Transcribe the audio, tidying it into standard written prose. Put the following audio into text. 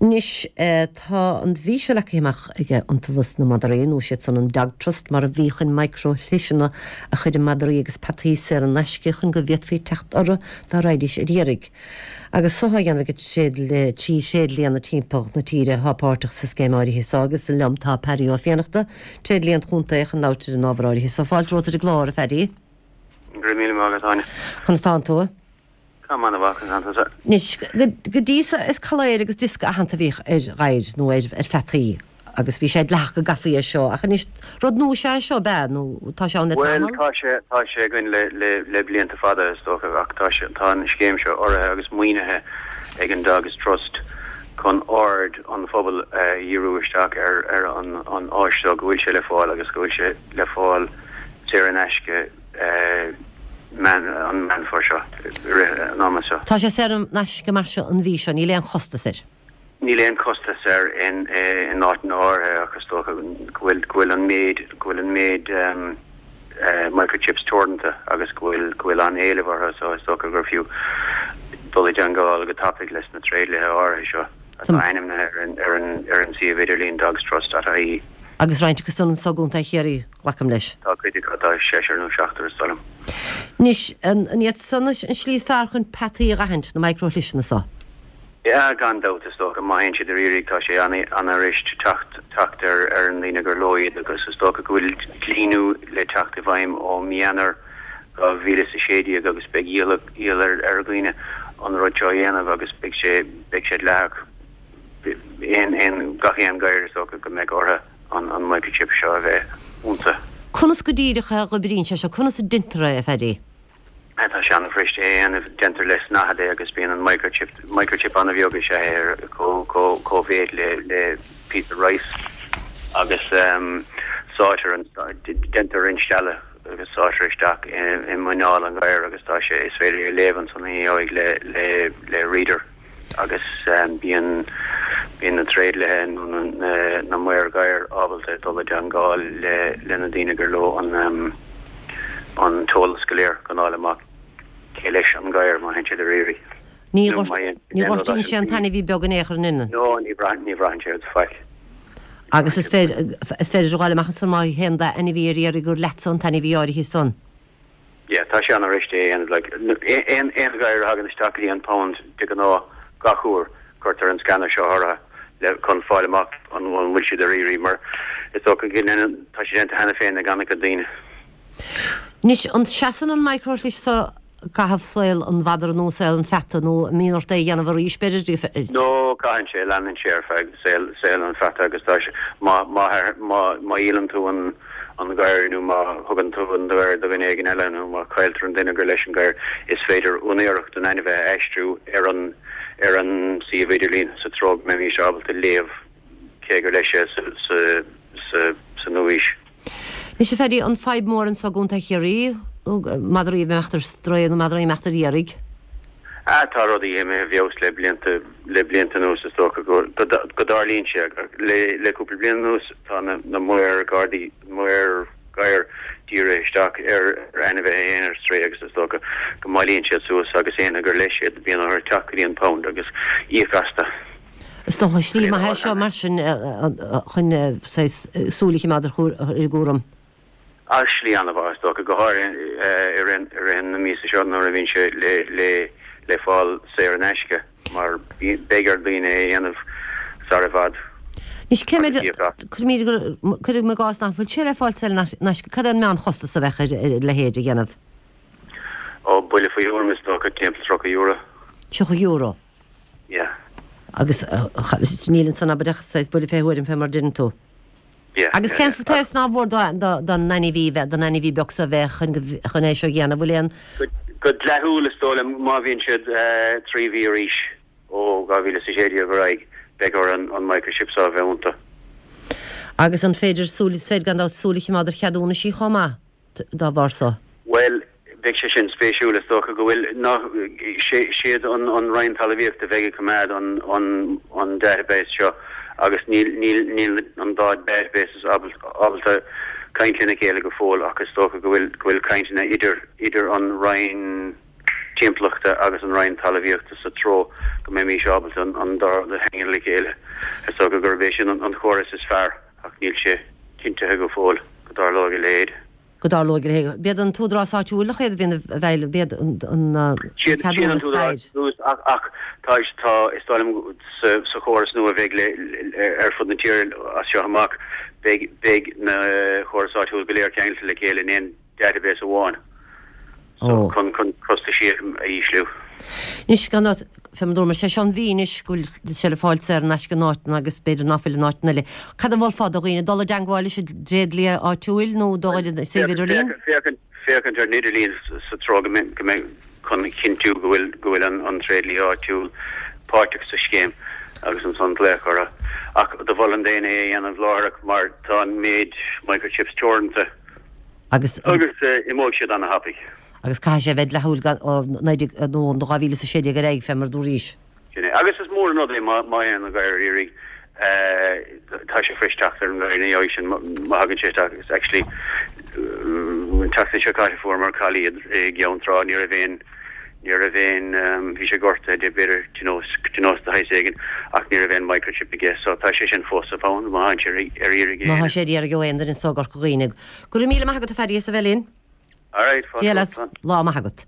Anois, tá an mhí seo leagtha amach ag Iontaobhas na Madraí, nó siad san an Dog Trust mar a bhí, chun micro-shliseanna a chur i madraí agus peataí saor in aisce chun go bhféadfaí teacht orthu dá raghaidís ar iarraidh. Agus so á dhéanamh ag trí thréidlianna timpeall na tíre atá páirteach sa scéim áirithe so agus liom tá Paddy Ó Fiannachta, tréidlia an chontae chun labhairt ar an ábhar áirithe so. Fáilte romhat ar an gclár, a Phaddy. Go raibh míle maith agat, Áine. Conas tánn tú? Tá mé ana-mhaith, conas tánn tusa? Anois, go dtí so is coiléar agus diosca aitheanta a bhíodh ar ghadhair nó ar pheataí agus bhí sé dleathach go gcaithfí é seo ach anois rud nua is ea é seo, ab ea? Nó tá sé ann le tamall? Bhuel, tá sé, tá sé againn le, le, le blianta fada is dócha ach tá sé, tá an scéim seo urraithe agus maoinithe ag an Dogs Trust chun aird an phobail a dhíriú isteach ar, ar an, an áis seo, go bhfuil sé le fáil agus go bhfuil sé le fáil saor in aisce. an Meán Fómhair seo, i rith an ama seo. Tá sé saor in aisce mar seo an mhí seo, níl aon chostas air. Níl aon chostas air in áiteanna áirithe ach is dócha go bhfuil go bhfuil an méid go bhfuil an méid microchips teoranta agus go bhfuil go bhfuil an-éileamh orthu so is dócha gur fiú dul i dteangmháil go tapaidh leis na tréidliatha áirithe seo atá ainmnithe ar an ar an ar an suíomh idirlín dogstrust.ie. Agus roinnt acu san anso i gContae Chiarraí. Glacaim leis. Tá cuid acu, tá seisear nó seachtar is dóigh liom. Anois, an iad san an slí is fearr chun peataí a dh'aithint, na micro-shliseanna so? Yeah, gan dabht, is dócha. Má théann siad ar iarraidh, tá sé an-fhuirist teacht, teacht ar, ar na daoine gur leo iad agus is dócha go bhfuil dlí nua le teacht i bhfeidhm ó mí Eanáir 2016 agus beidh iallach, iall ar, ar dhaoine an rud seo a dhéanamh agus beidh sé, beidh sé dleathach aon, aon, gach aon gadhar is dócha go mbeidh orthu. an microchip seo a bheith iontu. Conas go díreach a dh'oibríonn sé seo? Conas a deintear é, a Phaddy? Tá sé an-fhuirist é a dhéanamh. Déantar le snáthaid é agus bíonn an microchip, microchip an-bheag is ea é, ar chomh-mhéid le le píosa rice agus sáitear an, déantar instealladh agus sáitear isteach i muineál an ghadhair agus tá sé, is féidir é a léamh ansan ina dhiaidh le le le reader. agus bíonn bíonn na tréidliatha nó na na maoir gadhair ábalta dul i dteangmháil le le na daoine gur leo an an t-eolas go léir chun fháil amach cé leis an gadhar má théann siad ar iarraidh. Ní nó má théann ní ghortaíonn sé an t-ainmhí beag in aon chor in No ní bhraitheann ní bhraitheann sé rud faic. Agus is féidir is féidir a dh'fháil amach ansan má théann d'ainmhí ar iarraidh gur leatsa an t-ainmhí áirithe san. Yeah, tá sé an-fhuirist é a dhéanamh, like, aon, aon ghadhar a thagann isteach go dtí an pound de ghnáth, gach uair, cuirtear an scanner seo orthu le, chun fáil amach an, an bhfuil siad ar iarraidh, mar is dócha go ndéanann, tá sé déanta cheana féin ag an-chuid daoine. Anois, an seasann an micro-shlis so i gcaitheamh saol an mhadra nó saol an pheata, nó an mbíonn ort é a dhéanamh arís, b'fhéidir? No, caitheann sé, leanann sé ar feadh saol, saol an pheata agus tá sé, má, má, má, má dhíolann tú an, an gadhar nó má thugann tú an gadhar do dhuine éigin eile nó má chailltear an duine gur leis an gadhar, is féidir úinéireacht an ainmhithe a aistriú ar an ar an suíomh idirlín sa treo go mbeimís ábalta léamh cé gur leis é sa sa sa sa nua-aois. Anois, a Phaddy, an fadhb mór anso i gContae Chiarraí, madraí ag imeacht ar strae nó madraí ag imeacht ar iarraidh? Ah, tá rudaí imithe i bhfeabhas le blianta, le blianta anuas is dócha go, go dtarlaíonn sé. Le, le cúpla bliain anuas tá na, na maoir gardaí, maoir gadhair dírithe isteach ar, ar ainmhithe a théann ar strae agus is dócha go mbailíonn siad suas agus éinne gur leis iad bíonn orthu teacht go dtí an pound agus íoc astu. Is dócha slí maith é seo mar sin chun saghas súil a choimeád ar ar an gcúram. Ah slí an-mhaith is dócha, go háirithe i rith na míosa seo nuair a bhíonn sé le fáil saor in aisce mar beidh ar daoine é a dhéanamh sar i bhfad Anois cé mhéad, cuirim i gcás nach bhfuil sé le fáil saor in aisce, cad é an meánchostas a bheadh ar a leithéid a dhéanamh? Ó, buille faoi thuairim is dócha, timpeall €30. €30? Yeah. Agus níl ansan abair ach saghas buille fé thuairim fé mar a deireann tú. Agus cén saghas nár mhór don ainmhí bheith, don ainmhí beag so bheith chun chun é seo a dhéanamh? Bhfuil aon. Go dleathúil is dóigh liom má bhíonn siad 3 mhí ar aois ó 2016 ar aghaidh beidh orthu an microchip so a bheith iontu. Agus an féidir súil, is féidir gan dabht súil a chimeád ar cheadúnaisí chomh maith? dá bharr so. Bhuel, beidh sé sin spéisiúil. Is dócha go bhfuil, ná, siad an an Roinn Talmhaíochta a bheidh ag coimeád an an an database seo agus níl níl níl an dá databases ábalta caint lena chéile go fóill ach is dócha go bhfuil go bhfuil cainteanna idir idir an Roinn. Timpeallachta agus an Roinn Talmhaíochta sa treo go mbeimís ábalta an dá rud a cheangal le chéile. Is dócha gurb é sin an chóras is fearr ach níl sé cinntithe go fóill go dtarlóidh a leithéid. Go dtarlóidh a leithéid. B'iad an t-údarás áitiúil a chéad a bhíonn i bhfeighil, b'iad an ceadúnas ach ach tá tá is dóigh liom sa chóras nua a bheidh le ar fud na tíre as seo amach beidh beidh na chóras áitiúil go léir ceangailte le chéile in aon database amháin so chun chun costaisí a ísliú. Anois gan dabht, fé mar dúramar, sé seo an mhí anois go bhfuil sé le fáil saor in aisce in áiteanna agus b'fhéidir ná fuil in áiteanna eile. Cad a mholfá do dhaoine, dul i dteangmháil leis an dtréadlia áitiúil nó dul ar an suíomh idirlín? Féachaint féachaint ar an idirlíon sa treo go mbeidh go mbeidh chun a chinntiú go bhfuil go bhfuil an an tréadlia áitiúil páirteach sa scéim agus ansan glaoch orthu. Ach do mholfainn d'éinne é a dhéanamh láithreach mar tá an méid microchips teoranta. Agus. Agus imeoidh siad ana-thapaidh. Agus caithfidh sé a bheith dleathúil ó 19, nó ó 2016 ar aghaidh, fé mar a dúraís. Sin é. Agus is mór an rud é má théann an gadhar ar iarraidh, tá sé fuirist teacht ar an ngadhar ina dhiaidh sin, má thagann sé isteach. Agus actually, an tseachtain seo caite fuaireamar collie i gCeann Trá, ní raibh aon, Ní raibh aon, bhí sé gortaithe de b'fhéidir de nós, de nós de shaghas éigin ach ní raibh aon microchip aige so tá sé sin fós sa phound má théann sé ar iarraidh Má tá sé ar iarraidh ó aon duine so i gCorca Dhuibhne. Go raibh míle maith agat a Phaddy as a bheith linn. Alright, fáilte Dia leat, lá maith agat.